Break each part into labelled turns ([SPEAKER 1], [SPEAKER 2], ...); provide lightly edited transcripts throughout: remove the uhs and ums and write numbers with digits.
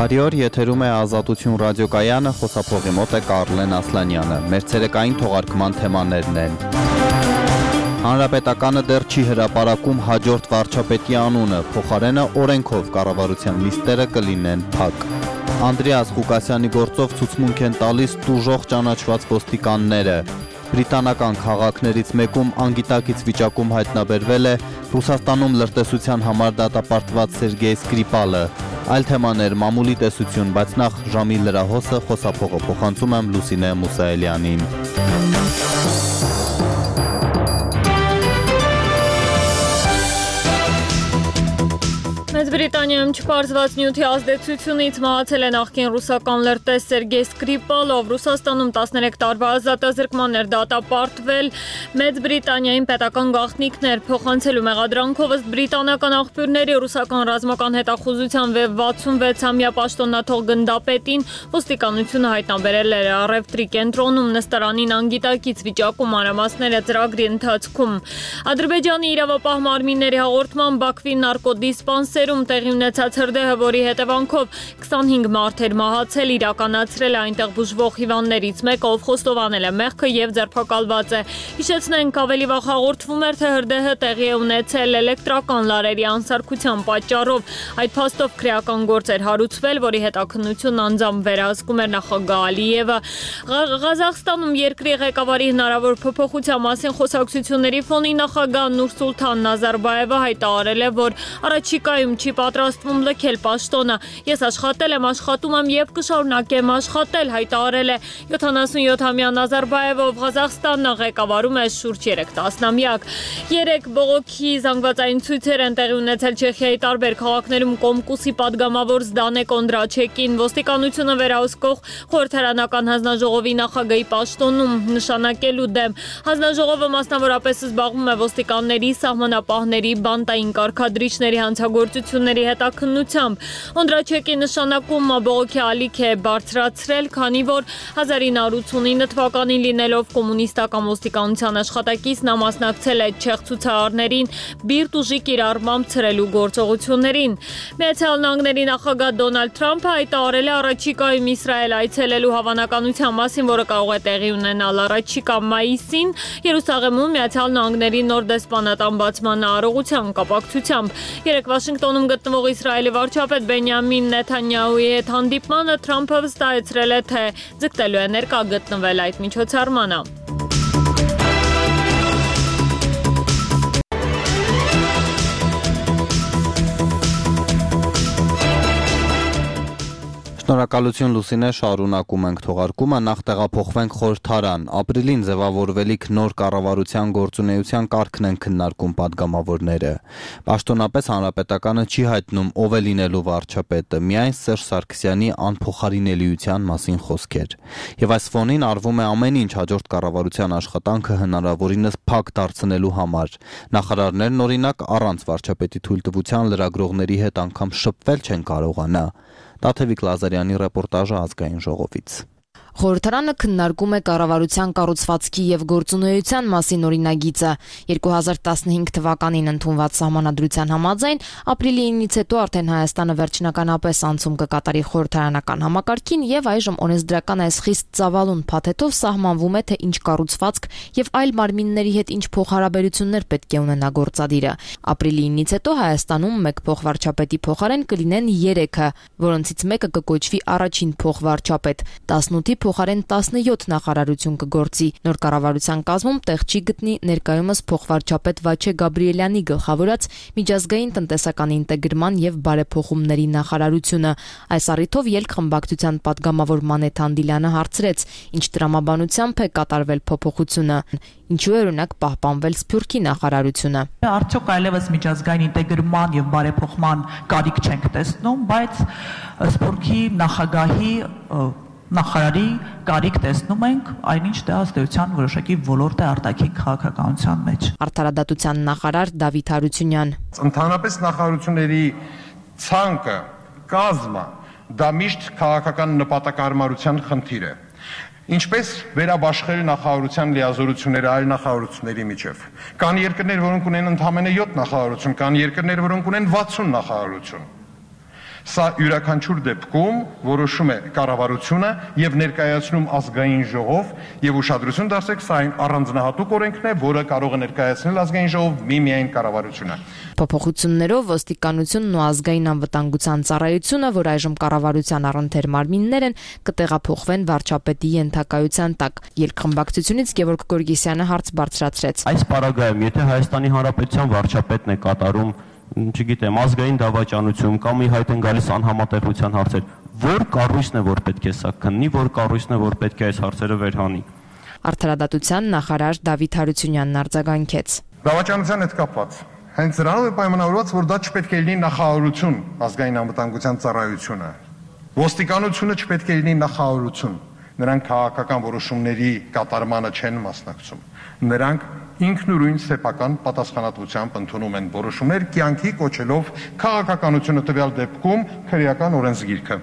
[SPEAKER 1] Բարի օր, եթերում է Ազատություն ռադիոկայանը, խոսափողի մոտ է Կարլեն Ասլանյանը։ Մեր ցերեկային թողարկման թեմաներն են. Հանրապետականը դեռ չի հրապարակում հաջորդ վարչապետի անունը, փոխարենը օրենքով կառավարության լիստերը կլինեն փակ։ Անդրեաս Ղուկասյանի գործով ցուցմունք են տալիս տուժող ճանաչված ոստիկանները։ Բրիտանական քաղաքներից մեկում անգիտակից վիճակում հայտնաբերվել է Ռուսաստանում լրտեսության համար դատապարտված Սերգեյ Սկրիպալը։ Այլ թեմաներ, մամուլի տեսություն, բայց նախ ժամի լրահոսը, խոսափողը փոխանցում եմ Լուսինե Մուսայելյանին։
[SPEAKER 2] Մեծ Բրիտանիայում չպարզված նյութի ազդեցությունից մահացել է նախկին ռուսական լրտես Սերգեյ Սկրիպալով։ Ռուսաստանում 13 տարվա ազատազրկման էր դատապարտվել։ Մեծ Բրիտանիային պետական գաղտնիքներ փոխանցելու մեղադրանքով ըստ բրիտանական աղբյուրների ռուսական ռազմական հետախուզության վեբ 66-ամյա պաշտոնաթող գնդապետին ոստիկանությունը հայտնաբերել էր առևտրի կենտրոնում նստարանին անգիտակից վիճակում մանրամասները ծրագրի ընթացքում։ Ադրբեջանի իրավապահ մարմինների հաղորդման Բաքվի նարկոդիսպանսերում տեղի ունեցած հրդեհը, որի հետևանքով 25 մարդ էր մահացել, իրականացրել է այնտեղ բուժվող հիվանդներից մեկը, ով խոստովանել է մեղքը եւ ձերբակալված է։ Հիշեցնենք, ավելի վաղ հաղորդվում էր, թե հրդեհը տեղի է ունեցել էլեկտրական լարերի անսարքության պատճառով։ Այդ փաստով քրեական գործ էր հարուցվել, որի հետաքննությունն անձամբ վերահսկում էր նախագահ Ալիևը։ Ղազախստանում երկրի ղեկավարի հնարավոր փոփոխության մասին խոսակցությունների ֆոնին նախագահ Նուրսուլթան Նազարբաևը հայտարարել է, որ առաջիկայում չի պատրաստվում լքել պաշտոնը։ Ես աշխատել եմ, աշխատում եմ եւ կշարունակեմ աշխատել, հայտարարել է 77-ամյա Նազարբաևը, ով Ղազախստանը ղեկավարում է շուրջ 3 տասնամյակ։ 3 բողոքի զանգվածային ցույցեր են տեղի ունեցել Չեխիայի տարբեր քաղաքներում Կոմկուսի падգամավոր Զդանե Կոնդրաչեկին ոստիկանությունը վերահսկող խորհրդարանական հանձնաժողովի նախագահի պաշտոնում նշանակելու դեմ։ Հանձնաժողովը մասնավորապես զբաղվում է ոստիկանների, սահմանապահների, բանտային կարգադրիչների հանցագործությունների հետաքննությամբ։ Կոնդրաչեկի նշանակումը բողոքի ալիք է բարձրացրել, քանի որ 1989 թվականին լինելով կոմունիստական ոստիկանության աշխատակից նա մասնակցել է չեխ ցուցարարներին բիրտ ուժի կիրառմամբ ցրելու գործողություններին։ Միացյալ Նահանգների նախագահ Դոնալդ Թրամփը հայտարարել է առաջիկայում Իսրայել այցելելու հավանականության մասին, որը կարող է տեղի ունենալ առաջիկա մայիսին Երուսաղեմում Միացյալ Նահանգների նոր դեսպանատան բացման արարողության կապակցությամբ։ Երեկ Վաշինգտոնում գտնվող Իսրայելի վարչապետ Բենյամին Նեթանյահուի հետ հանդիպմանը Թրամփը վստահեցրել է, թե ձգտելու է ներկա գտնվել այդ միջոցառմանը։
[SPEAKER 1] Շնորհակալություն Լուսինե, շարունակում ենք թողարկումը, նախ տեղափոխվենք խորհրդարան։ Ապրիլին ձևավորվելիք նոր կառավարության գործունեության կարգն են քննարկում падգամավորները։ Պաշտոնապես հանրապետականը չի հայտնում ով է լինելու վարչապետը, միայն Սերժ Սարգսյանի անփոխարինելիության մասին խոսքեր։ Եվ այս ֆոնին արվում է ամեն ինչ հաջորդ կառավարության աշխատանքը հնարավորինս փակ դարձնելու համար։ Նախարարներն օրինակ առանց վարչապետի թույլտվության լրագրողների հետ անգամ շփվել չեն կարողանա։ Տաթևիկ Լազարյանի ռեպորտաժը Ազգային ժողովից։
[SPEAKER 3] Խորհրդարանը քննարկում է կառավարության կառուցվածքի եւ գործունեության մասին օրինագիծը։ 2015 թվականին ընդունված սահմանադրության համաձայն ապրիլի 9-ից հետո արդեն Հայաստանը վերջնականապես անցում կկատարի խորհրդարանական համակարգին եւ այժմ օրենսդրական այս խիստ ծավալուն փաթեթով սահմանվում է, թե ինչ կառուցվածք եւ այլ մարմինների հետ ինչ փոխհարաբերություններ պետք է ունենա գործադիրը։ Ապրիլի 9-ից հետո Հայաստանում մեկ փոխվարչապետի փոխարեն կլինեն 3-ը, որոնցից մեկը կկոչվի առաջին փոխվարչապետ, 18-ի փոխարեն 17 նախարարություն կգործի։ Նոր կառավարության կազմում տեղ չի գտնի ներկայումս փոխվարչապետ Վաչե Գաբրիելյանի գլխավորած միջազգային տնտեսական ինտեգրման եւ բարեփոխումների նախարարությունը։ Այս առիթով ելք խմբակցության падգամավոր Մանեթ Անդիլյանը հարցրեց, ինչ տրամաբանությամբ է կատարվել փոփոխությունը, ինչու է օրինակ պահպանվել Սփյուռքի նախարարությունը։
[SPEAKER 4] Արդյոք այլևս միջազգային ինտեգրման եւ բարեփոխման կարիք չենք տեսնում, բայց Սփյուռքի նախագահի նախարարի կարիք տեսնում ենք, այնինչ դե ազդեցության որոշակի ոլորտ է արտաքին քաղաքականության մեջ։
[SPEAKER 3] Արդարադատության նախարար Դավիթ Հարությունյան։
[SPEAKER 5] Ընդհանրապես նախարարությունների ցանկը, կազմը, դա միշտ քաղաքական նպատակարարության խնդիր է։ Ինչպես վերաբաշխել նախարարության լիազորությունները այլ նախարարությունների միջև։ Կան երկրներ, որոնք ունեն ընդամենը 7 նախարարություն, կան երկրներ, որոնք ունեն 60 նախարարություն։ Սա յուրաքանչյուր դեպքում որոշում է կառավարությունը եւ ներկայացնում ազգային ժողով եւ ուշադրություն դարձրեք, սա այն առանձնահատուկ օրենքն է, որը կարող է ներկայացնել ազգային ժողով միմիայն կառավարությունը։
[SPEAKER 3] Փոփոխություններով ոստիկանությունն ու ազգային անվտանգության ծառայությունը, որ այժմ կառավարության առընթեր մարմիններ են, կտեղափոխվեն վարչապետի ենթակայության տակ։ Երկխմբակցությունից Գևորգ Գորգիսյանը հարց բարձրացրեց։
[SPEAKER 6] Այս պարագայում, եթե Հայաստանի Հանրապետության վարչապետն է կատարում, չգիտեմ, ազգային դավաճանություն կամ ի հայտ են գալիս անհամատեղության հարցեր, որ կառույցն է, որ պետք է սա քննի, որ կառույցն է, որ պետք է այս հարցերը վերհանի։
[SPEAKER 3] Արդարադատության նախարար Դավիթ Հարությունյանն արձագանքեց։
[SPEAKER 5] Դավաճանության հետ կապված հենց նրանով է պայմանավորված, որ դա չպետք է լինի նախարարություն, ազգային անվտանգության ծառայությունը։ Ոստիկանությունը չպետք է լինի նախարարություն։ Նրանք քաղաքական որոշումների կատարմանը չեն մասնակցում։ Նրանք ինքնուրույն սեփական պատասխանատվությամբ ընդունում են որոշումներ, կյանքի կոչելով քաղաքականությունը տվյալ դեպքում քրեական օրենսգիրքը։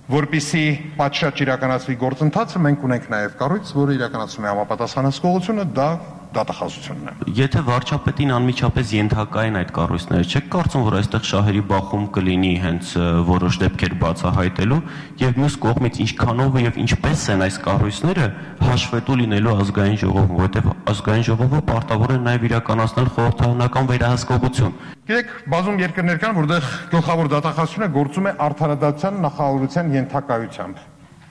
[SPEAKER 5] Որպեսզի պատշաճ իրականացվի գործընթացը, մենք ունենք նաև կառույց, որը իրականացնում է համապատասխանատվությունը, դա դատախազությունն է։
[SPEAKER 6] Եթե վարչապետին անմիջապես ենթակա են այդ կառույցները, չեք կարծում, որ այստեղ շահերի բախում կլինի հենց որոշ դեպքեր բացահայտելու եւ մյուս կողմից ինչքանով եւ ինչպես են այս կառույցները հաշվետու լինելու ազգային ժողովում, որովհետեւ ազգային ժողովը պարտավոր է նաեւ իրականացնել խորհրդարանական վերահսկողություն։
[SPEAKER 5] Գիտեք, բազում երկրներ կան, որտեղ գլխավոր դատախազությունը գործում է արդարադատության նախարարության ենթակայությամբ։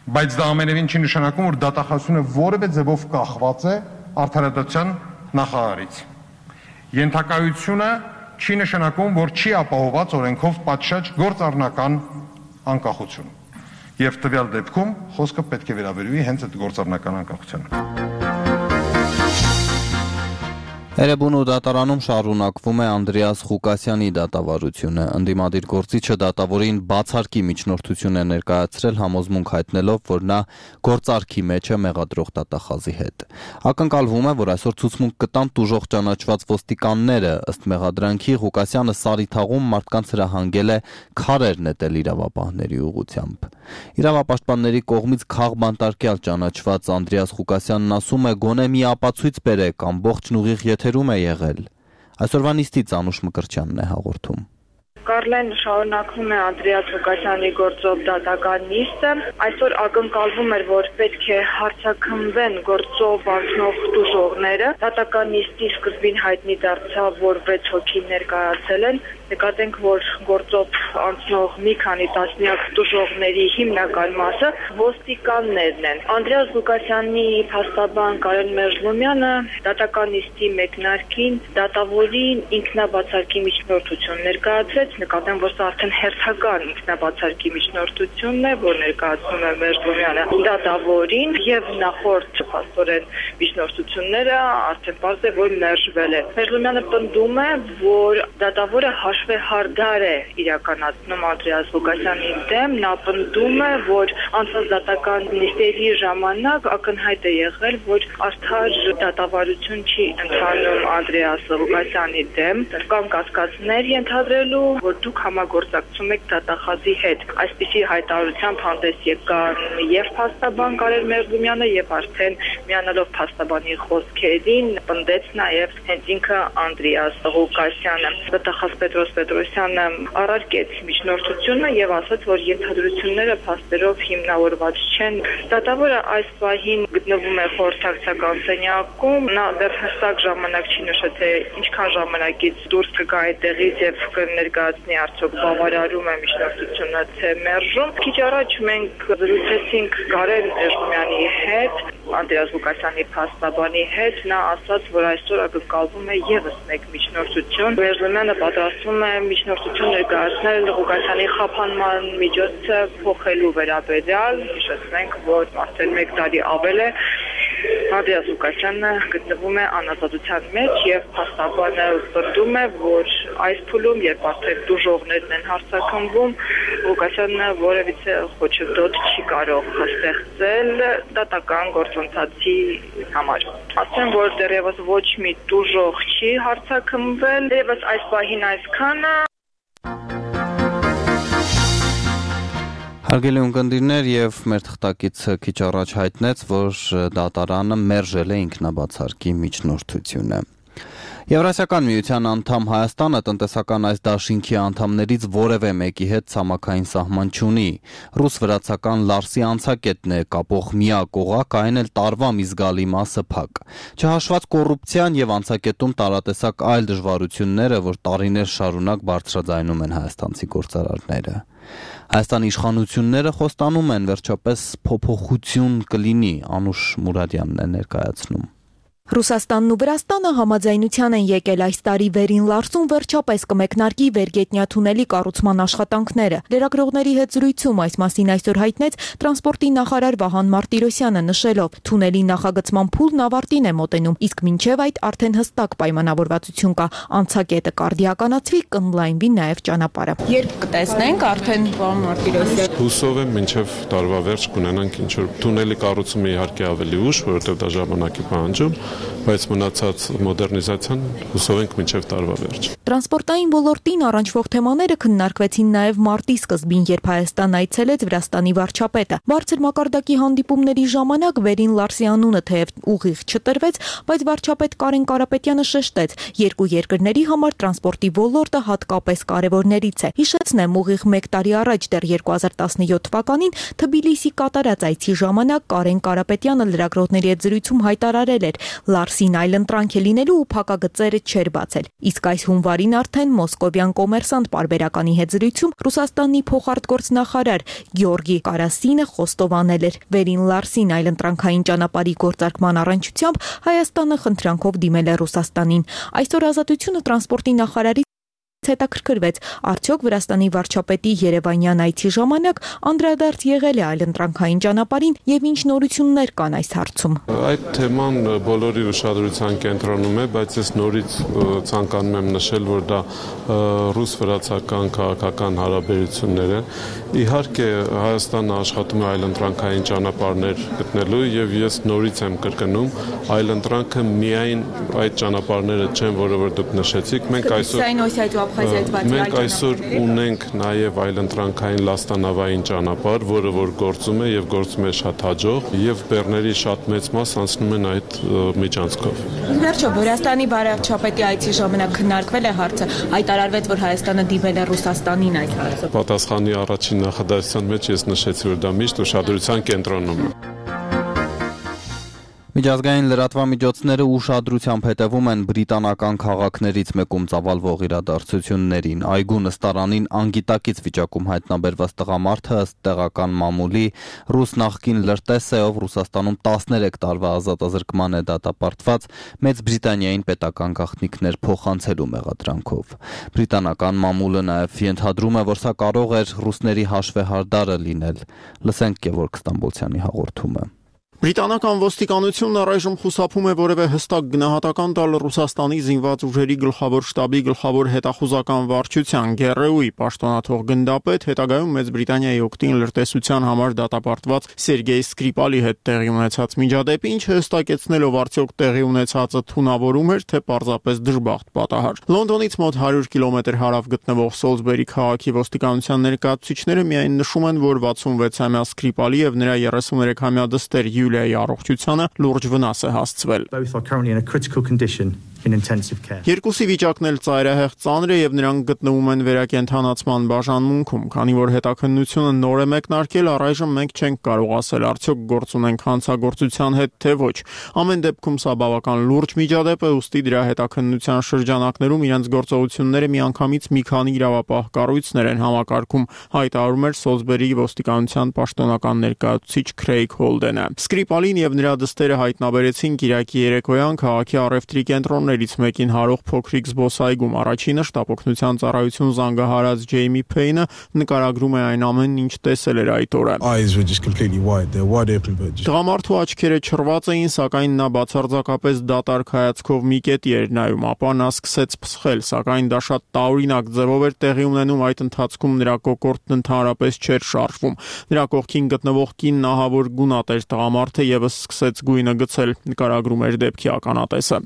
[SPEAKER 5] Բայց դա ամենևին չի նշանակում, որ դատախազությունը որևէ ձևով կախված է արդարադատության նախարարից։ Ենթակայությունը չի նշանակում, որ չի ապահովված օրենքով պատշաճ գործառնական անկախություն։ Եվ տվյալ դեպքում խոսքը պետք է վերաբերվի հենց այդ գործառնական անկախությանը։
[SPEAKER 1] Էրեբունու դատարանում շարունակվում է Անդրեաս Ղուկասյանի դատավարությունը։ Ընդդիմադիր գործիչը դատավորին բացարկի միջնորդություն է ներկայացրել, համոզմունք հայտնելով, որ նա գործարքի մեջ է մեղադրող դատախազի հետ։ Ակնկալվում է, որ այսօր ցուցմունք կտան տուժող ճանաչված ոստիկանները։ Ըստ մեղադրանքի Ղուկասյանը Սարիթաղում մարդկանց հրահանգել է քարեր նետել իրավապահների ուղղությամբ։ Իրավապաշտպանների կողմից քաղբանտարկյալ ճանաչված Անդրեաս Ղուկասյանն ասում է, գոնե մի ապացույց բերեք, ամբողջն ուղիղ եթերում է եղել։ Այսօրվա նիստից Անուշ Մկրտչյանն է հաղորդում։
[SPEAKER 7] Կարլեն շարունակվում է Անդրեաս Ղուկասյանի գործով դատական նիստը։ Այսօր ակնկալվում էր, որ պետք է հարցաքննվեն գործով անցնող տուժողները։ Դատական նիստի սկզբին հայտնի դարձավ, որ 6 հոգի ներկայացել են։ Նկատենք, որ գործով անցնող մի քանի տասնյակ տուժողների հիմնական մասը ոստիկաններն են։ Անդրեաս Ղուկասյանի փաստաբան Կարեն Մերժլումյանը դատական նիստի մեկնարկին դատավորին ինքնաբացարկի միջնորդություն ներկայացրեց։ Նկատեմ, որ սա արդեն հերթական ինքնաբացարկի միջնորդությունն է, որ ներկայացնում է Մերժլումյանը դատավորին, եւ նախորդ փաստորեն միջնորդությունները արդեն պարզ է, որ մերժվել է։ Մերժլումյանը պնդում է, որ դատավորը հաշվեհարդար է իրականացնում Անդրեաս Ղուկասյանի դեմ, նա պնդում է, որ անցած դատական նիստերի ժամանակ ակնհայտ է եղել, որ արդար դատավարություն չի ընթանում Անդրեաս Ղուկասյանի դեմ, կամ կասկածներ ենթադրելու, որ դուք համագործակցում եք դատախազի հետ։ Այսպիսի հայտարարությամբ հանդես եկան եւ փաստաբան Կարեն Մերժլումյանը եւ արդեն միանալով փաստաբանի խոսքերին պնդեց նաեւ հենց ինքը Անդրեաս Ղուկասյանը։ Դատախազ Պետրոս Պետրոսյանը առարկեց միջնորդությունը եւ ասաց, որ ենթադրությունները փաստերով հիմնավորված չեն։ Դատավորը այս պահին գտնվում է խորհրդակցական սենյակում, նա դեռ հստակ ժամանակ չի նշել, թե ինչքան ժամանակից դուրս կգա այդտեղից եւ կներկայացնի արդյոք բավարարում է միջնորդությունը թե մերժում։ Քիչ առաջ մենք զրուցեցինք Կարեն Մերժլումյանի հետ, Անդրեաս Ղուկասյանի փաստաբանի հետ, նա ասաց, որ այսօր ակնկալվում է եւս մեկ միջնորդություն։ Մերժլումյանը պատրաստվում է միջնորդություն ներկայացնել Ղուկասյանի խափանման միջոցը փոխելու վերաբերյալ։ Հիշեցնենք, որ արդեն 1 տարի ավել է Անդրեաս Ղուկասյանը գտնվում է անազատության մեջ եւ փաստաբանը պնդում է, որ այս փուլում, երբ արդեն դժողներն են հարցաքննվում, Ղուկասյանը որևիցե խոչընդոտ չի կարող ստեղծել դատական գործընթացի համար։ Ասեմ, որ դեռևս ոչ մի դժող չի հարցաքննվել, դեռևս այս պահին այսքանը։
[SPEAKER 1] Հարգելի ունկնդիրներ, եւ մեր թղթակիցը քիչ առաջ հայտնեց, որ դատարանը մերժել է ինքնաբացարկի միջնորդությունը։ Եվրասիական միության անդամ Հայաստանը տնտեսական այս դաշինքի անդամներից որևէ մեկի հետ ցամաքային սահման չունի։ Ռուս-վրացական Լարսի անցակետն է կապող միակ օղակ, այն էլ տարվա մի զգալի մասը փակ։ Չհաշված կոռուպցիան եւ անցակետում տարատեսակ այլ դժվարությունները, որ տարիներ շարունակ բարձրաձայնում են հայաստանցի գործարարները։ Հայաստանի իշխանությունները խոստանում են վերջապես փոփոխություն կլինի, Անուշ Մուրադյանն է ներկայացնում։
[SPEAKER 8] Ռուսաստանն ու Վրաստանը համաձայնության են եկել այս տարի վերին Լարսում վերջապես կմեկնարկի վերգետնյա թունելի կառուցման աշխատանքները։ Լրագրողների հետ զրույցում այս մասին այսօր հայտնեց տրանսպորտի նախարար Վահան Մարտիրոսյանը, նշելով, թունելի նախագծման փուլն ավարտին է մոտենում, իսկ մինչև այդ արդեն հստակ պայմանավորվածություն կա, անցակետը կարդիականացվի, կընդլայնվի նաև ճանապարհը։ Երբ կտեսնենք արդեն Վահան Մարտիրոսյան։
[SPEAKER 9] Հուսով եմ մինչև տարվա վերջ կունենանք ինչ որ թունելի կառուցումը իհարկե ավելի ուշ, որովհետև դա ժամանակի պահանջում, բայց մնացած մոդեռնիզացիան հուսով ենք մինչև տարվա վերջ։
[SPEAKER 8] Տրանսպորտային ոլորտին առնչվող թեմաները քննարկվեցին նաև մարտի սկզբին, երբ Հայաստան այցելեց Վրաստանի վարչապետը։ Բարձր մակարդակի հանդիպումների ժամանակ վերին Լարսի անունը թեև ուղիղ չտրվեց, բայց վարչապետ Կարեն Կարապետյանը շեշտեց, երկու երկրների համար տրանսպորտի ոլորտը հատկապես կարևորներից է։ Հիշեցնեմ, ուղիղ 1 տարի առաջ, դեռ 2017 թվականին Թբիլիսի կատարած այցի ժամանակ Կարեն Կարապետյանը լրագրողների հետ զրույցում հայտարարել էր, Լարսին այլընտրանք է լինելու ու փակագծերը չէր բացել։ Իսկ այս հունվարին արդեն մոսկովյան կոմերսանտ պարբերականի հետ զրույցում Ռուսաստանի փոխարտգործնախարար Գեորգի Կարասինը խոստովանել էր, վերին Լարսին այլընտրանքային ճանապարհի գործարկման առնչությամբ Հայաստանը խնդրանքով դիմել է Ռուսաստանին։ Այսօր Ազատությունը տրանսպորտի նախարարի հետաքրքրվեց, արդյոք Վրաստանի վարչապետի Երևանյան այցի ժամանակ անդրադարձ եղել է այլընտրանքային ճանապարհին եւ ինչ նորություններ կան այս հարցում։
[SPEAKER 9] Այդ թեման բոլորի ուշադրության կենտրոնում է, բայց ես նորից ցանկանում եմ նշել, որ դա ռուս-վրացական քաղաքական հարաբերություններ են։ Իհարկե Հայաստանը աշխատում է այլընտրանքային ճանապարհներ գտնելու եւ ես նորից եմ կրկնում, այլընտրանքը միայն այդ ճանապարհները չեն, որը որ դուք նշեցիք, մենք այսօր ունենք նաև այլընտրանքային լաստանավային ճանապարհ, որը որ գործում է եւ գործում է շատ հաջող եւ բեռների շատ մեծ մաս անցնում են այդ միջանցքով։
[SPEAKER 8] Վերջո Վրաստանի վարչապետի այցի ժամանակ քննարկվել է հարցը, հայտարարվեց, որ Հայաստանը դիմել է Ռուսաստանին այդ հարցով։
[SPEAKER 9] Պատասխանի առաջին նախադասության մեջ ես նշեցի, որ դա միշտ ուշադրության կենտրոնում է։
[SPEAKER 1] Միջազգային լրատվամիջոցները ուշադրությամբ հետևում են բրիտանական քաղաքներից մեկում ծավալվող իրադարձություններին։ Այգու նստարանին անգիտակից վիճակում հայտնաբերված տղամարդը ըստ տեղական մամուլի ռուս նախկին լրտես է, ով Ռուսաստանում 13 տարվա ազատազրկման է դատապարտված Մեծ Բրիտանիային պետական գաղտնիքներ փոխանցելու մեղադրանքով։ Բրիտանական մամուլը նաև ենթադրում է, որ սա կարող էր ռուսների հաշվեհարդարը լինել։ Լսենք Գևորգ Ստամբոլցյանի հաղորդումը։
[SPEAKER 10] Բրիտանական ոստիկանությունն առայժմ խուսափում է որևէ հստակ գնահատական տալ Ռուսաստանի զինված ուժերի գլխավոր շտաբի գլխավոր հետախուզական վարչության ԳՌՈ-ի պաշտոնաթող գնդապետ հետագայում Մեծ Բրիտանիայի օգտին լրտեսության համար դատապարտված Սերգեյ Սկրիպալի հետ տեղի ունեցած միջադեպի, ինչը հստակեցնելով արդյոք տեղի ունեցածը թունավորում էր, թե պարզապես դժբախտ պատահար։ Լոնդոնից մոտ 100 կիլոմետր հարավ գտնվող Սոլսբերի քաղաքի ոստիկանության ներկայացուցիչները միայն նշում են, որ 66-ամյա Սկրիպալի եւ նրա 33-ամյա դստեր Յուլիայի առողջությանը լուրջ վնաս է հասցվել։ Երկուսի վիճակն էլ ծայրահեղ ծանր է եւ նրանք գտնվում են վերակենդանացման բաժանմունքում, քանի որ հետաքննությունը նոր է մեկնարկել, առայժմ մենք չենք կարող ասել արդյոք գործ ունենք հանցագործության հետ թե ոչ։ Ամեն դեպքում սա բավական լուրջ միջադեպ է, ուստի դրա հետաքննության շրջանակներում իրենց գործողությունները միանգամից մի քանի իրավապահ կառույցներ են համակարգում, հայտարարում էր Սոլսբերի ոստիկանության պաշտոնական ներկայացուցիչ Քրեյգ Հոլդենը։ Սկրիպալին եւ նրա դստերը հայտնաբերեցին Կիրակի երեկոյան քաղաքի առևտրի կենտրոններից մեկին հարող փոքրիկ զբոսայգում։ Առաջինը շտապօգնության ծառայություն զանգահարած Ջեյմի Փեյնը նկարագրում է այն ամենն, ինչ տեսել էր այդ օրը։ Տղամարդու աչքերը չռված էին, սակայն նա բացարձակապես դատարկ հայացքով մի կետի էր նայում, ապա նա սկսեց փսխել, սակայն դա շատ տարօրինակ ձևով էր տեղի ունենում, այդ ընթացքում նրա կոկորդն ընդհանրապես չէր շարժվում։ Նրա կողքին գտնվող կինն ահավոր գունատ էր, տղամարդը եւս սկսեց գույնը գցել, նկարագրում էր դեպքի ականատեսը։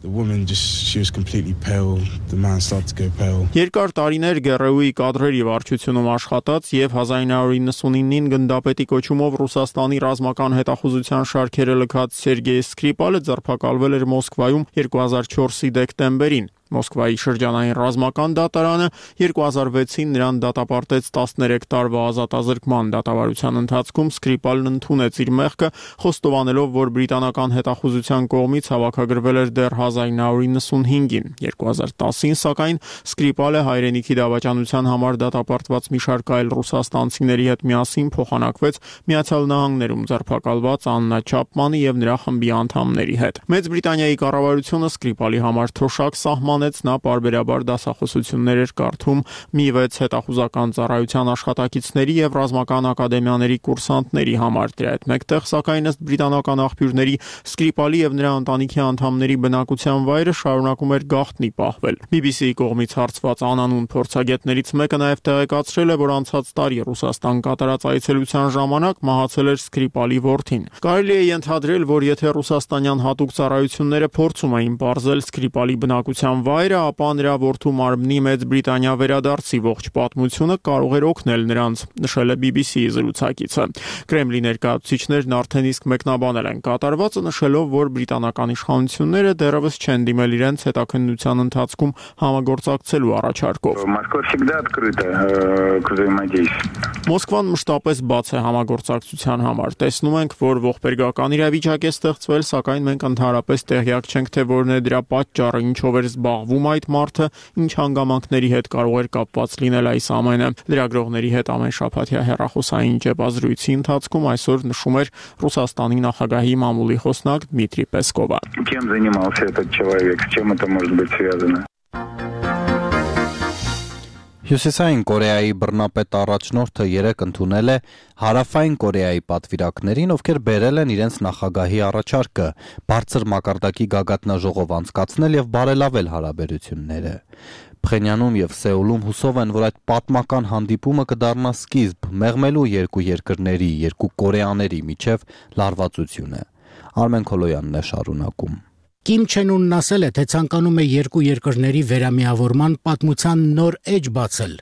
[SPEAKER 10] Երկար տարիներ ԳՌՈ-ի կադրերի վարչությունում աշխատած եւ 1999-ին գնդապետի կոչումով Ռուսաստանի ռազմական հետախուզության շարքերը լքած Սերգեյ Սկրիպալը ձերբակալվել էր Մոսկվայում 2004-ի դեկտեմբերին։ Մոսկվայի շրջանային ռազմական դատարանը 2006-ին նրան դատապարտեց 13 տարվա ազատազրկման դատավարության ընթացքում Սկրիպալն ընդունեց իր մեղքը, խոստովանելով, որ բրիտանական հետախուզության կողմից հավաքագրվել էր դեռ 1995-ին։ 2010-ին, սակայն, Սկրիպալը հայրենիքի դավաճանության համար դատապարտված մի շարք այլ ռուսաստանցիների հետ միասին փոխանակվեց Միացյալ Նահանգներում ձերբակալված Աննա Չապմանի եւ նրա խմբի անդամների հետ։ Մեծ Բրիտանիայի կառավարությունը Սկրիպալի համար թոշակ սահմանեց, նա պարբերաբար դասախոսություններ էր կարդում մի 6 հետախուզական ծառայության աշխատակիցների եւ ռազմական ակադեմիաների կուրսանտների համար։ Դրա հետ մեկտեղ, սակայն, ըստ բրիտանական աղբյուրների, Սկրիպալի եւ նրա ընտանիքի անդամների բնակության վայրը շարունակում էր գաղտնի պահվել։ BBC-ի կողմից հարցված անանուն փորձագետներից մեկը նաեւ տեղեկացրել է, որ անցած տարի Ռուսաստան կատարած այցելության ժամանակ մահացել էր Սկրիպալի որդին։ Կարելի է ենթադրել, որ եթե ռուսաստանյան հատուկ ծառայությունները փորձում էին բարձել Սկրիպալի բնակության վայրը, ապա նրա որդու մարմնի Մեծ Բրիտանիա վերադարձի ողջ պատմությունը կարող էր օգնել նրանց, նշել է BBC-ի զրուցակիցը։ Կրեմլի ներկայացուցիչներն արդեն իսկ մեկնաբանել են կատարվածը, նշելով, որ բրիտանական իշխանությունները դեռևս չեն դիմել իրենց հետաքննության ընթացքում համագործակցելու առաջարկով։ Մոսկվան մշտապես բաց է համագործակցության համար։ Տեսնում ենք, որ ողբերգական իրավիճակ է ստեղծվել, սակայն մենք ընդհանրապես տեղյակ չենք, թե որն է դրա պատճառը, ինչով էր զբաղվում այդ մարդը, ինչ հանգամանքների հետ կարող էր կապված լինել այս ամենը։ Լրագրողների հետ ամենշաբաթյա հեռախոսային ճեպազրույցի ընթացքում այսօր նշում էր Ռուսաստանի նախագահի մամուլի խոսնակ Դմիտրի Պեսկովը։
[SPEAKER 11] Чем занимался этот человек, с чем это может быть связано?
[SPEAKER 1] Հյուսիսային Կորեայի բռնապետ առաջնորդը երեկ ընդունել է Հարավային Կորեայի պատվիրակներին, ովքեր բերել են իրենց նախագահի առաջարկը բարձր մակարդակի գագաթնաժողով անցկացնել եւ բարելավել հարաբերությունները։ Փխենյանում եւ Սեուլում հուսով են, որ այդ պատմական հանդիպումը կդառնա սկիզբ մեղմելու երկու երկրների, երկու Կորեաների միջև լարվածությունը։ Արմեն Քոլոյանն է շարունակում։
[SPEAKER 12] Կիմ Չեն Ունն ասել է, թե ցանկանում է երկու երկրների վերամիավորման պատմության նոր էջ բացել։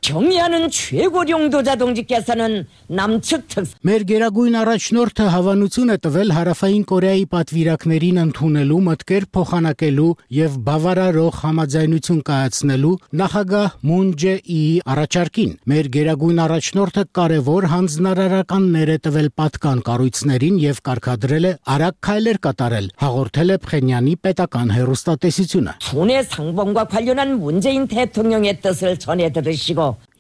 [SPEAKER 12] Մեր գերագույն առաջնորդը հավանություն է տվել Հարավային Կորեայի պատվիրակներին ընդունելու, մտքեր փոխանակելու եւ բավարարող համաձայնություն կայացնելու նախագահ Մուն Ջե-ի առաջարկին։ Մեր գերագույն առաջնորդը կարևոր հանձնարարականներ է տվել պատկան կառույցներին եւ կարգադրել է արագ քայլեր կատարել, հաղորդել է Փխենյանի պետական հեռուստատեսությունը։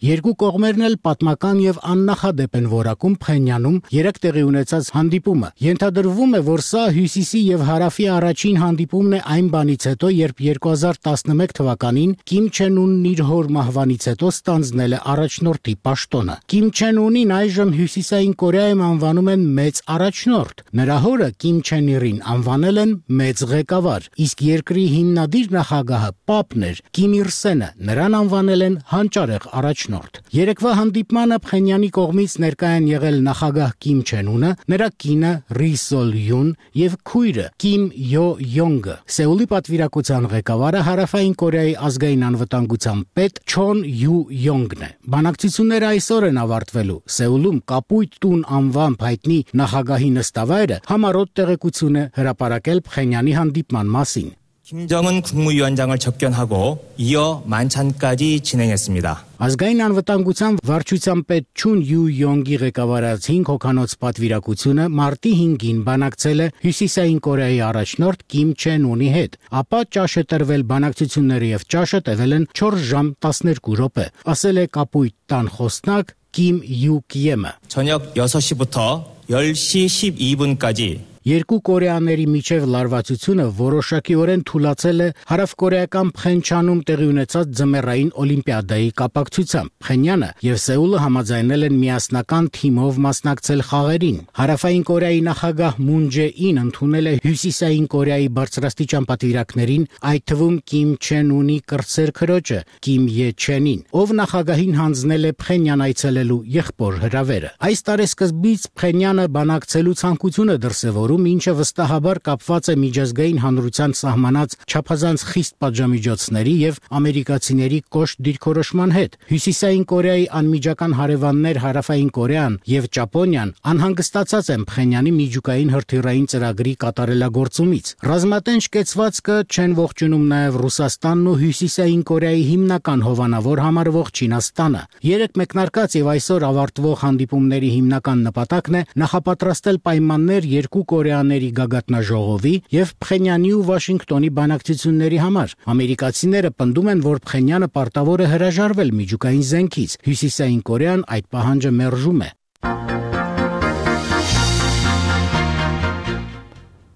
[SPEAKER 12] Երկու կողմերն էլ պատմական եւ աննախադեպ են որակում Փխենյանում երեք տեղի ունեցած հանդիպումը։ Ենթադրվում է, որ սա Հյուսիսի եւ Հարավի առաջին հանդիպումն է այն բանից հետո, երբ 2011 թվականին Կիմ Չեն Ունն իր հոր մահվանից հետո ստանձնել է առաջնորդի պաշտոնը։ Կիմ Չեն Ունին այժմ Հյուսիսային Կորեայում անվանում են մեծ առաջնորդ։ Նրա հորը Կիմ Չեն Իրին անվանել են մեծ ղեկավար, իսկ երկրի հիմնադիր նախագահը Պապն էր, Կիմ Իր Սենը, նրան անվանել են հանճարեղ առաջնորդ։ Երեկվա հանդիպմանը Փխենյանի կողմից ներկա են եղել նախագահ Կիմ Չեն Ունը, նրա կինը Րի Սոլ Յուն եւ քույրը Կիմ Յո Յոնգը։ Սեուլի պատվիրակության ղեկավարը Հարավային Կորեայի ազգային անվտանգության պետ Չոն Յու Յոնգն է։ Բանակցությունները այսօր են ավարտվելու։ Սեուլում Կապույտ տուն անվամբ հայտնի նախագահի նստավայրը համառոտ տեղեկություն է հրապարակել Փխենյանի հանդիպման մասին։
[SPEAKER 13] 김정은 국무위원장을 접견하고 이어 만찬까지 진행했습니다.
[SPEAKER 12] Ազգային անվտանգության վարչության պետ Չուն Յու Յոնգի ղեկավարած 5 հոգանոց պատվիրակությունը մարտի 5-ին բանակցել է Հյուսիսային Կորեայի առաջնորդ Կիմ Չեն Ունի հետ, ապա ճաշ է տրվել բանակցությունները եւ ճաշը տևել են 4 ժամ 12 րոպե, ասել է Կապույտ տան խոսնակ Կիմ Յու Կիեմը։
[SPEAKER 13] 저녁 6시부터 10시 12분까지
[SPEAKER 12] Երկու կորեաների միջև լարվածությունը որոշակիորեն թուլացել է հարավկորեական Փխենչանում տեղի ունեցած ձմեռային օլիմպիադայի կապակցությամբ։ Փխենյանը եւ Սեուլը համաձայնել են միասնական թիմով մասնակցել խաղերին։ Հարավային Կորեայի նախագահ Մուն Ջե-ին ընդունել է Հյուսիսային Կորեայի բարձրաստիճան պատվիրակներին, այդ թվում Կիմ Չեն Ունի կրտսեր քրոջը Կիմ Ե Չենին, ով նախագահին հանձնել է Փխենյան այցելելու եղբոր հրավերը։ Այս տարեսկզբից Փխենյանը բանակցելու ցանկություն է դրսևորում որում, ինչը վստահաբար կապված է միջազգային հանրության սահմանած չափազանց խիստ պատժամիջոցների եւ ամերիկացիների կոշտ դիրքորոշման հետ։ Հյուսիսային Կորեայի անմիջական հարևաններ Հարավային Կորեան եւ Ճապոնիան անհանգստացած են Փխենյանի միջուկային հրթիռային ծրագրի կատարելագործումից։ Ռազմատենչ կեցվածքը չեն ողջունում նաեւ Ռուսաստանն ու Հյուսիսային Կորեայի հիմնական հովանավոր համարվող Չինաստանը։ Երեք մեկնարկած եւ այսօր ավարտվող հանդիպումների հիմնական նպատակն է նախապատրաստել պայմաններ երկու կորեաների գագաթնաժողովի եւ Փխենյանի ու Վաշինգտոնի բանակցությունների համար։ Ամերիկացիները պնդում են, որ Փխենյանը պարտավոր է հրաժարվել միջուկային զենքից։ Հյուսիսային Կորեան այդ պահանջը մերժում է։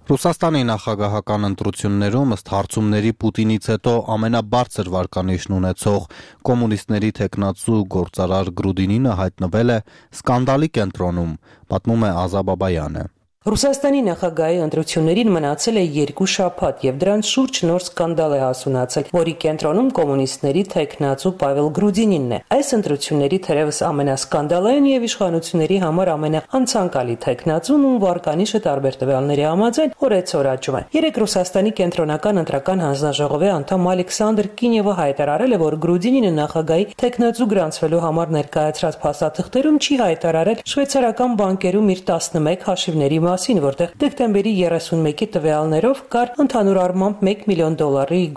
[SPEAKER 1] Ռուսաստանի նախագահական ընտրություններում ըստ հարցումների Պուտինից հետո ամենաբարձր վարկանիշն ունեցող կոմունիստների թեկնածու գործարար Գրուդինինը հայտնվել է սկանդալի կենտրոնում, պատմում է Ազա Բաբայանը։
[SPEAKER 14] Ռուսաստանի նախագահի ընտրություններին մնացել է 2 շաբաթ եւ դրանց շուրջ նոր սկանդալ է հասունացել, որի կենտրոնում կոմունիստների թեկնածու Պավել Գրուդինինն է։ Այս ընտրությունների թերևս ամենասկանդալային եւ իշխանությունների համար ամենաանցանկալի թեկնածուն ու վարկանիշը տարբեր տվյալների համաձայն օրեցօր աճում է։ Երեք Ռուսաստանի կենտրոնական ընտրական հանձնաժողովի անդամ Ալեքսանդր Կինևը հայտարարել է, որ Գրուդինինը նախագահի թեկնածու գրանցվելու համար ներկայացրած փաստաթղթերում չի հայտարարել շվեյցարական բանկերում իր 11 հաշիվների որտեղ դեկտեմբերի 31-ի տվյալներով կար ընդհանուր առմամբ $1 միլիոն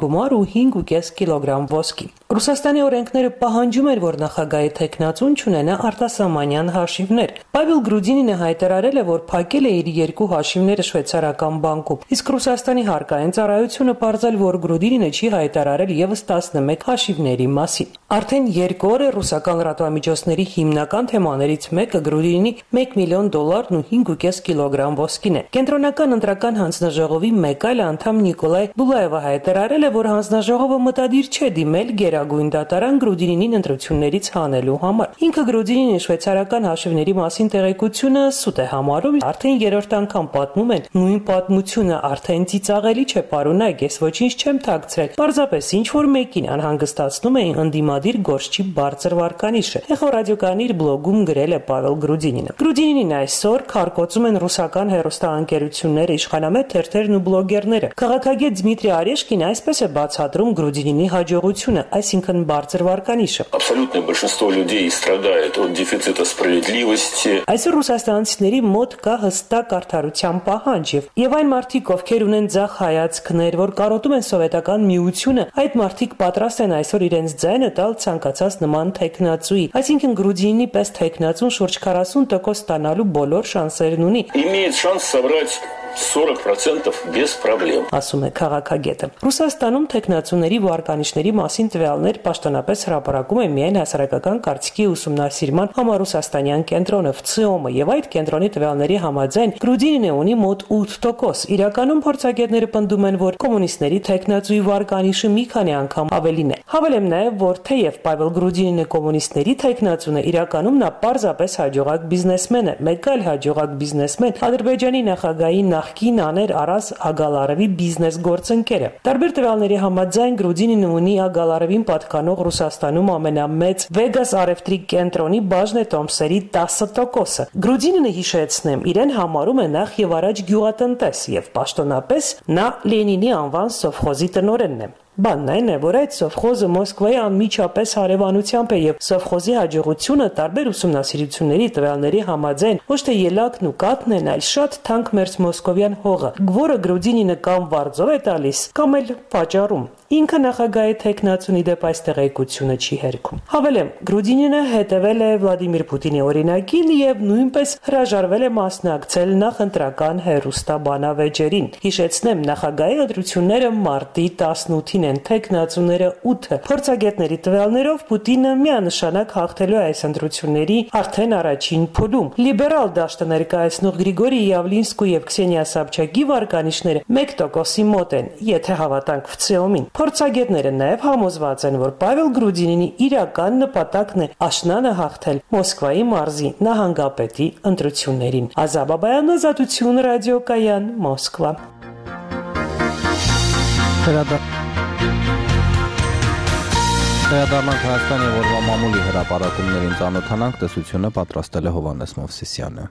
[SPEAKER 14] գումար ու 5.5 կիլոգրամ ոսկի։ Ռուսաստանի օրենքները պահանջում էր, որ նախագահի թեկնածուն չունենա արտասահմանյան հաշիվներ։ Պավել Գրուդինինը հայտարարել է, որ փակել է իր 2 հաշիվները շվեյցարական բանկում, իսկ Ռուսաստանի հարկային ծառայությունը պարզել, որ Գրուդինինը չի հայտարարել եւս 11 հաշիվների մասին։ Արդեն 2 օր է ռուսական լրատվամիջոցների հիմնական թեմաներից մեկը Գրուդինինի $1 միլիոն ու 5.5 կիլոգրամ ոսկին է։ Կենտրոնական ընտրական հանձնաժողովի մեկ այլ անդամ Նիկոլայ Բուլաևը հայտարարել է, որ հանձնաժողովը մտադիր չէ դիմել գերագույն դատարան Գրուդինինին ընտրություններից հանելու համար։ Ինքը Գրուդինինի շվեյցարական հաշիվների մասին տեղեկությունը սուտ է համարում, արդեն 3-րդ անգամ պատմում են նույն պատմությունը, արդեն ծիծաղելի չէ, պարոնայք, ես ոչինչ չեմ թաքցրել։ Պարզապես ինչ որ մեկին անհանգստացնում էին ընդդիմադիր գործչի բարձր վարկանիշը։ Էխո ռադիոկայանի իր բլոգում գրել է Պավել Գրուդինինը։ Գրուդինինին այսօր քարկոծում են ռուսական հեռուստաընկերությունները, իշխանամետ թերթերն ու բլոգերները։ Քաղաքագետ Դմիտրի Արեշկին այսպես է բացատրում Գրուդինինի հաջողությունը, այսինքն բարձր վարկանիշը։
[SPEAKER 15] Абсолютное большинство людей страдает от дефицита справедливости.
[SPEAKER 14] Այսօր ռուսաստանցիների մոտ կա հստակ արդարության պահանջ եւ այն մարդիկ, ովքեր ունեն ձախ հայացքներ, որ կարոտում են սովետական միությունը, այդ մարդիկ պատրաստ են այսօր իրենց ձայնը տալ ցանկացած նման թեկնածուի։ Այսինքն Գրուդինինի պես թեկնածուն շուրջ 40% ստանալու բոլոր շանսերն ունի։
[SPEAKER 15] Имеет шанс собрать 40% без проблем.
[SPEAKER 14] Ասում է քաղաքագետը։ Ռուսաստանում թեկնածուների վարկանիշների մասին տվյալներ պաշտոնապես հրապարակում է միայն հասարակական կարծիքի ուսումնասիրման համառուսաստանյան կենտրոնը ՎՑԻՕՄ-ը եւ այդ կենտրոնի տվյալների համաձայն Գրուդինինը ունի մոտ 8%։ Իրականում փորձագետները պնդում են, որ կոմունիստների թեկնածուի վարկանիշը մի քանի անգամ ավելին է։ Հավելեմ նաեւ, որ թեև Պավել Գրուդինինը կոմունիստների թեկնածուն է, իրականում նա պարզապես հաջողակ բիզնեսմեն է։ Մեկ այլ հաջողակ բիզնեսմեն Ադրբեջանի նախագահի նախկին Աներ Արազ Ագալարովի բիզնես գործընկերը։ Տարբեր տվյալների համաձայն Գրուդինինը ունի Ագալարովին պատկանող Ռուսաստանում ամենամեծ Վեգաս արևտրի կենտրոնի բաժնետոմսերի 10%-ը։ Գրուդինինը, հիշեցնեմ, իրեն համարում է նախ եւ առաջ գյուղատնտես եւ պաշտոնապես նա Լենինի անվան սովխոզի տնօրենն է։ Բանն այն է, որ այդ սովխոզը Մոսկվայի անմիջապես հարևանությամբ է եւ սովխոզի հաջողությունը տարբեր ուսումնասիրությունների տվյալների համաձայն ոչ թե ելակն ու կաթն են, այլ շատ թանկ մերձ մոսկովյան հողը, որը Գրուդինինը կամ վարձով է տալիս, կամ էլ վաճառում։ Ինքը նախագահի թեկնածունի դեպ այս տեղեկությունը չի հերքում։ Հավելեմ, Գրուդինինը հետևել է Վլադիմիր Պուտինի օրինակին եւ նույնպես հրաժարվել է մասնակցել նախընտրական հերոստաբանավեճերին։ Հիշեցնեմ, նախագահի ընտրությունները մարտի 18-ին են, թեկնածուները 8-ը։ Փորձագետների տվյալներով Պուտինը միանշանակ հաղթելու է այս ընտրությունների արդեն առաջին փուլում։ Լիբերալ դաշտը ներկայացնող Գրիգորի Յավլինսկու եւ Քսենիա Սաբչակի վարկանիշները 1%-ի մոտ են, եթե հավատանք ՎՑԻՕՄ-ին։ Փորձագետները նաև համոզված են, որ Պավել Գրուդինինի իրական նպատակն է աշնանը հաղթել Մոսկվայի մարզի նահանգապետի ընտրություններին։ Ազա Բաբայան, Ազատություն, ռադիոկայան, Մոսկվա։
[SPEAKER 1] Վերադառնանք Հայաստանի օրվա մամուլի հրապարակումներին ծանոթանանք, տեսությունը պատրաստել է Հովհաննես Մովսիսյանը։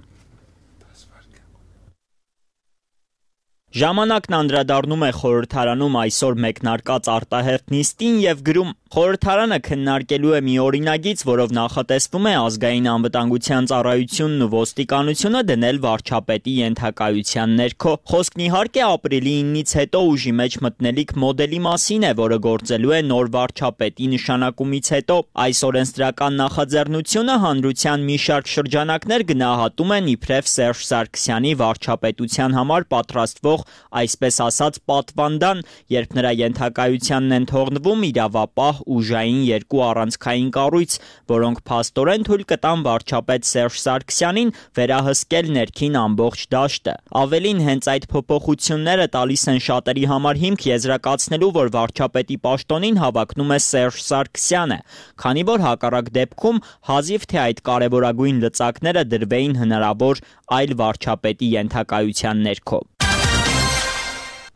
[SPEAKER 16] Ժամանակն անդրադառնում է խորհրդարանում այսօր մեկնարկած արտահերթ նիստին եւ գրում. խորհրդարանը քննարկելու է մի օրինագիծ, որով նախատեսվում է ազգային անվտանգության ծառայությունն ու ոստիկանությունը դնել վարչապետի ենթակայության ներքո։ Խոսքն իհարկե ապրիլի 9-ից հետո ուժի մեջ մտնելիք մոդելի մասին է, որը գործելու է նոր վարչապետի նշանակումից հետո։ Այս օրենսդրական նախաձեռնությունը հանրության մի շարք շրջանակներ գնահատում են իբրև Սերժ Սարգսյանի վարչապետության համար պատրաստվող այսպես ասած պատվանդան, երբ նրա ենթակայությանն են թողնվում իրավապահ ուժային երկու առանցքային կառույց, որոնք փաստորեն թույլ կտան վարչապետ Սերժ Սարգսյանին վերահսկել ներքին ամբողջ դաշտը։ Ավելին, հենց այդ փոփոխությունները տալիս են շատերի համար հիմք եզրակացնելու, որ վարչապետի պաշտոնին հավակնում է Սերժ Սարգսյանը, քանի որ հակառակ դեպքում հազիվ թե այդ կարևորագույն լծակները դրվեին հնարավոր այլ վարչապետի ենթակայության ներքո։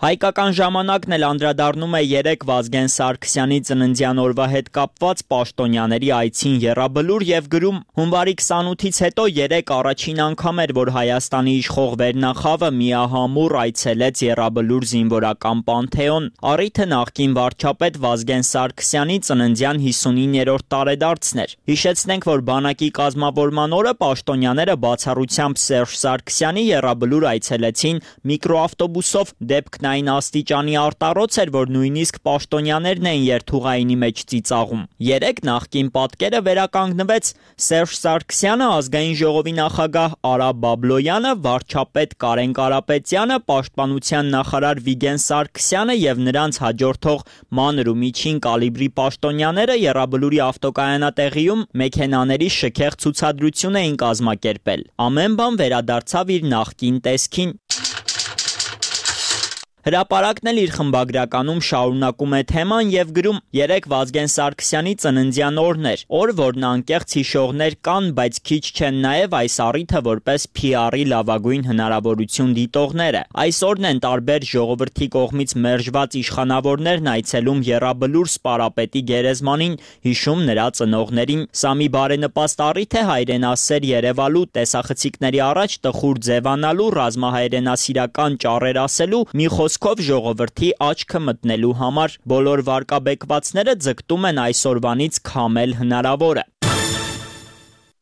[SPEAKER 16] Հայկական ժամանակն էլ անդրադառնում է 3 Վազգեն Սարգսյանի ծննդյան օրվա հետ կապված պաշտոնյաների այցին Եռաբլուր եւ գրում. հունվարի 28-ից հետո 3 առաջին անգամ էր, որ Հայաստանի իշխող վերնախավը միահամուռ այցելեց Եռաբլուր զինվորական պանթեոն։ Առիթը նախկին վարչապետ Վազգեն Սարգսյանի ծննդյան 59-րդ տարեդարձն էր։ Հիշեցնենք, որ բանակի կազմավորման օրը պաշտոնյաները բացառությամբ Սերժ Սարգսյանի Եռաբլուր այցելեցին միկրոավտոբուսով, դեպքն այն աստիճանի արտառոց էր, որ նույնիսկ պաշտոնյաներն էին երթուղայինի մեջ ծիծաղում։ 3 նախկին պատկերը վերականգնվեց Սերժ Սարգսյանը, ազգային ժողովի նախագահ Արա Բաբլոյանը, վարչապետ Կարեն Կարապետյանը, պաշտպանության նախարար Վիգեն Սարգսյանը եւ նրանց հաջորդող մանր ու միջին կալիբրի պաշտոնյաները Եռաբլուրի ավտոկայանատեղիում մեքենաների շքեղ ցուցադրություն էին կազմակերպել։ Ամեն բան վերադարձավ իր նախկին տեսքին։ Հրապարակն էլ իր խմբագրականում շարունակում է թեման եւ գրում. 3 Վազգեն Սարգսյանի ծննդյան օրն էր, օր, որն անկեղծ հիշողներ կան, բայց քիչ չեն նաեւ այս առիթը որպես PR-ի լավագույն հնարավորություն դիտողները։ Այսօրն են տարբեր ժողովրդի կողմից մերժված իշխանավորներն այցելում Եռաբլուր սպարապետի գերեզմանին, հիշում նրա ծնողներին։ Սա մի բարենպաստ առիթ է հայրենասեր Երևալու, տեսախցիկների առաջ տխուր ձևանալու, ռազմահայրենասիրական ճառեր ասելու, մի խոսքով ժողովրդի աչքը մտնելու համար։ Բոլոր վարկաբեկվածները ձգտում են այսօրվանից քամել հնարավորը։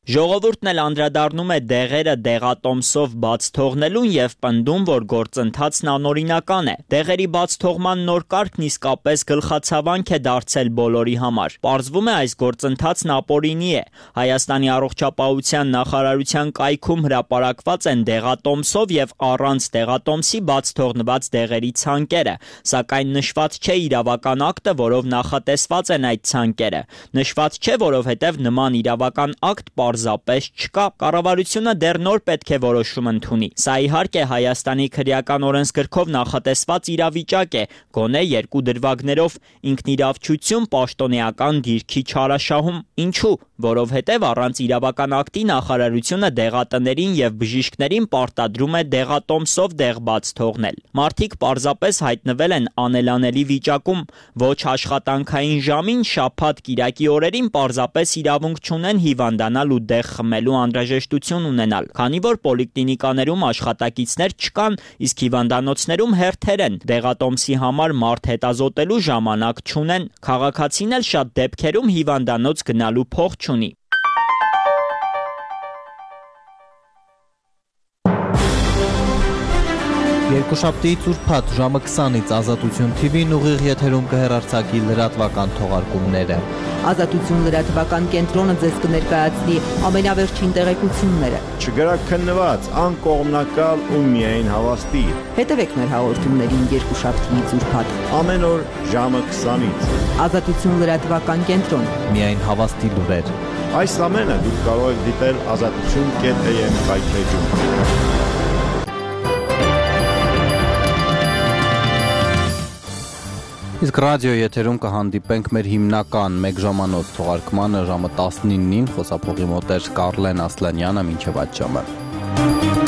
[SPEAKER 16] Ժողովուրդն էլ անդրադառնում է դեղերը դեղատոմսով բաց թողնելուն եւ պնդում, որ գործընթացն անօրինական է։ Դեղերի բաց թողման նոր կարգն իսկապես գլխացավանք է դարձել բոլորի համար։ Պարզվում է, այս գործընթացն ապօրինի է։ Հայաստանի առողջապահության նախարարության կայքում հրապարակված են դեղատոմսով եւ առանց դեղատոմսի բաց թողնված դեղերի ցանկերը, սակայն նշված չէ իրավական ակտը, որով նախատեսված են այդ ցանկերը։ Նշված չէ, որովհետեւ նման իրավական ակտ պարզապես չկա։ Կառավարությունը դեռ նոր պետք է որոշում ընդունի։ Սա իհարկե Հայաստանի քրեական օրենսգրքով նախատեսված իրավիճակ է, գոնե 2 դրվագներով ինքնիրավչություն պաշտոնեական դիրքի չարաշահում։ Ինչու՞, որովհետև առանց իրավական ակտի նախարարությունը դեղատներին եւ բժիշկներին պարտադրում է դեղատոմսով դեղ բաց թողնել։ Մարդիկ պարզապես հայտնվել են անելանելի վիճակում, ոչ աշխատանքային ժամին, շաբաթ կիրակի օրերին պարզապես իրավունք չունեն հիվանդանալ ու դեղ խմելու անհրաժեշտություն ունենալ, քանի որ պոլիկլինիկաներում աշխատակիցներ չկան, իսկ հիվանդանոցներում հերթեր են, դեղատոմսի համար մարդ հետազոտելու ժամանակ չունեն, քաղաքացին էլ շատ դեպքերում հիվանդանոց գնալու փող չունի։
[SPEAKER 1] Երկուշաբթիից ուրբաթ ժամը 20-ից Ազատություն TV-ն ուղիղ եթերում կհեռարձակի լրատվական թողարկումները։
[SPEAKER 17] Ազատություն լրատվական կենտրոնը ձեզ կներկայացնի ամենավերջին տեղեկությունները։
[SPEAKER 18] Չգրաքննված, անկողմնակալ ու միայն հավաստի։
[SPEAKER 17] Հետևեք մեր հաղորդումներին երկուշաբթիից ուրբաթ
[SPEAKER 18] ամեն օր ժամը 20-ից։
[SPEAKER 17] Ազատություն լրատվական կենտրոն։
[SPEAKER 1] Միայն հավաստի լուրեր։
[SPEAKER 18] Այս ամենը դուք կարող եք դիտել azatutun.am վայրէջում։
[SPEAKER 1] Իսկ ռադիո եթերում կհանդիպենք մեր հիմնական 1 ժամանոց թողարկմանը ժամը 19-ին, խոսափողի մոտ էր Կարլեն Ասլանյանը, մինչև այդ ժամը։